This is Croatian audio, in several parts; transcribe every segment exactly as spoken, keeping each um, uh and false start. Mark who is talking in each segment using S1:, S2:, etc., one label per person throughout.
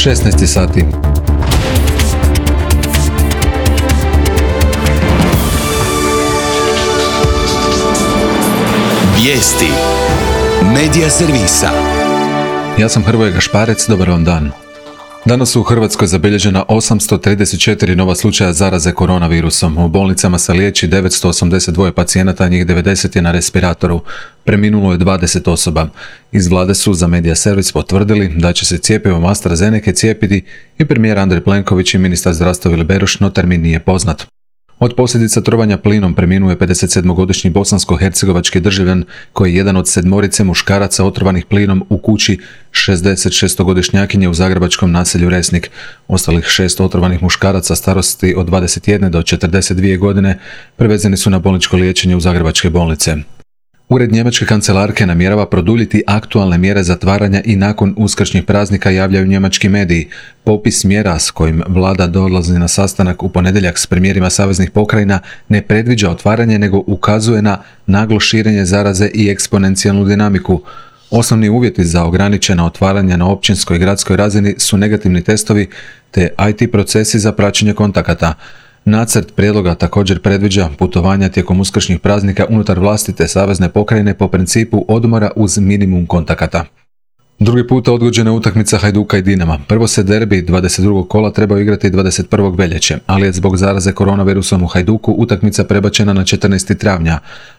S1: šesnaest sati.
S2: Vijesti Medija servisa.
S1: Ja sam Hrvoje Gašparec, dobar vam dan. Danas su u Hrvatskoj zabilježena osamsto trideset četiri nova slučaja zaraze koronavirusom. U bolnicama se liječi devetsto osamdeset dva pacijenata, njih devedeset je na respiratoru. Preminulo je dvadeset osoba. Iz vlade su za Medija servis potvrdili da će se cjepivom AstraZeneca cijepiti i premijer Andrej Plenković i ministar zdravstva Vili Beroš, no termin nije poznat. Od posljedica trovanja plinom preminuo je pedesetsedmogodišnji bosansko-hercegovački državljan koji je jedan od sedmorice muškaraca otrovanih plinom u kući šezdesetšestogodišnjakinje u zagrebačkom naselju Resnik. Ostalih šest otrovanih muškaraca starosti od dvadeset jedne do četrdeset dvije godine prevezeni su na bolničko liječenje u zagrebačke bolnice. Ured njemačke kancelarke namjerava produljiti aktualne mjere zatvaranja i nakon uskršnjih praznika, javljaju njemački mediji. Popis mjera s kojim vlada dolazi na sastanak u ponedjeljak s premijerima saveznih pokrajina ne predviđa otvaranje, nego ukazuje na naglo širenje zaraze i eksponencijalnu dinamiku. Osnovni uvjeti za ograničena otvaranja na općinskoj i gradskoj razini su negativni testovi te I T procesi za praćenje kontakata. Nacrt prijedloga također predviđa putovanja tijekom uskršnjih praznika unutar vlastite savezne pokrajine po principu odmora uz minimum kontakata. Drugi puta odgođena je utakmica Hajduka i Dinama. Prvo se derbi dvadeset drugog kola trebao igrati dvadeset prvog veljače, ali je zbog zaraze koronavirusom u Hajduku utakmica prebačena na četrnaesti travnja.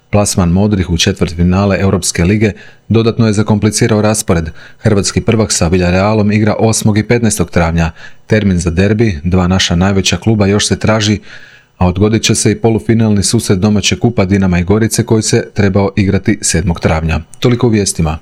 S1: Plasman modrih u četvrtfinale Europske lige dodatno je zakomplicirao raspored. Hrvatski prvak sa Villarealom igra osmog i petnaestog travnja. Termin za derbi, dva naša najveća kluba, još se traži, a odgodit će se i polufinalni susret domaće kupa Dinama i Gorice koji se trebao igrati sedmog travnja. Toliko u vijestima.